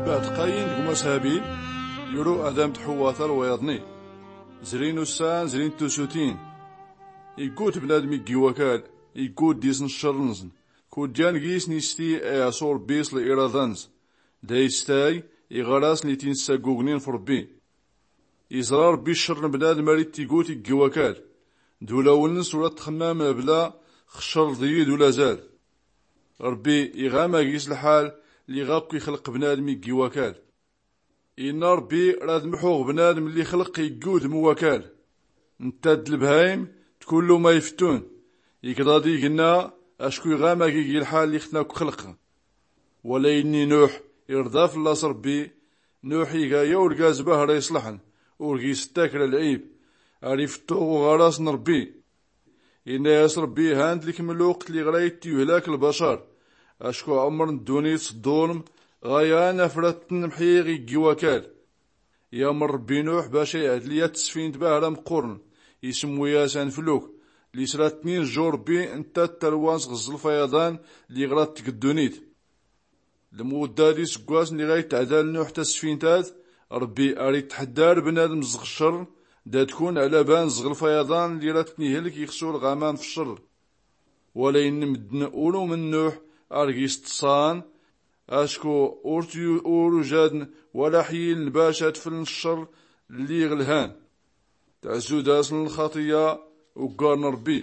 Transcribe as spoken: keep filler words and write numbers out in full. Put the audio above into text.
Bɛd qayin d gma-s habil, yuru adam d ḥuwa talwayaḍ-nni. Zrin ussan, zrin tusutin. Iggut bnadm iggi wakal, iggut disn ccarr-nsn. Kudjan gis nisti a-s ur bbis l-iraḍa-nsn. Da istay iɣar-asn i-tin-ssaggugnin f-rbbi. Iẓra rbbi ccarr n-bnadm ar-ittiggut iggi wakal. D-ulawl-ns ur-at-txmmam bla xcarr d-iyi d-ulazal. Rbbi iɣama gis lḥal liɣ akk ixlq bnadm iggi wakal. Inna rbbi rad mḥuɣ bnadm lli xlq iggi udm wakal. Ntta d-lbhayim d-kullu ma ifttun. Ikḍa d-ignna acku iɣama gigi lḥal liɣ-tn akk xlq. Wala inni nuḥ irḍa fllas rbbi. Nuḥ iga ya urgaz bahra iṣlḥn, ur gis ttakra lɛib. Ar ifttux uɣaras n-rbbi. Inna-yas rbbi han-d lkm lwqt liɣ ra-ittiyuhlak lbacar. Acku ɛmr n-ddunit s-ḍḍulm ɣayan afrat-tn mḥiɣ iggi wakal. Yamr rbbi nuḥ bac a-iɛdl ya-t-sfint bahra mqqurn. Ismwi-yas anfluk. Lli sra-tnin jju rbbi ntta d-talwan s-ɣ-ẓlf ayaḍan liɣ ra-ttg ddunit. Lmudda d-isggwasn liɣ a-itɛdal nuḥ tasfint-ad, rbbi ar-itḥddar bnadm s-ɣ-ccarr. Da-tkun ɛlaban s-ɣlf ayaḍan lli ra-tn-ihlk ixsu lɣamam f-ccarr. Wala inn mddn ur-umn nuḥ ar-gis ṭṭṣan. Acku ur-ujadn wala ḥyiln bac ad-fln ccarr lli ɣ-lhan. Tɛzzu-dasn lxaṭiya uggar n-rbbi.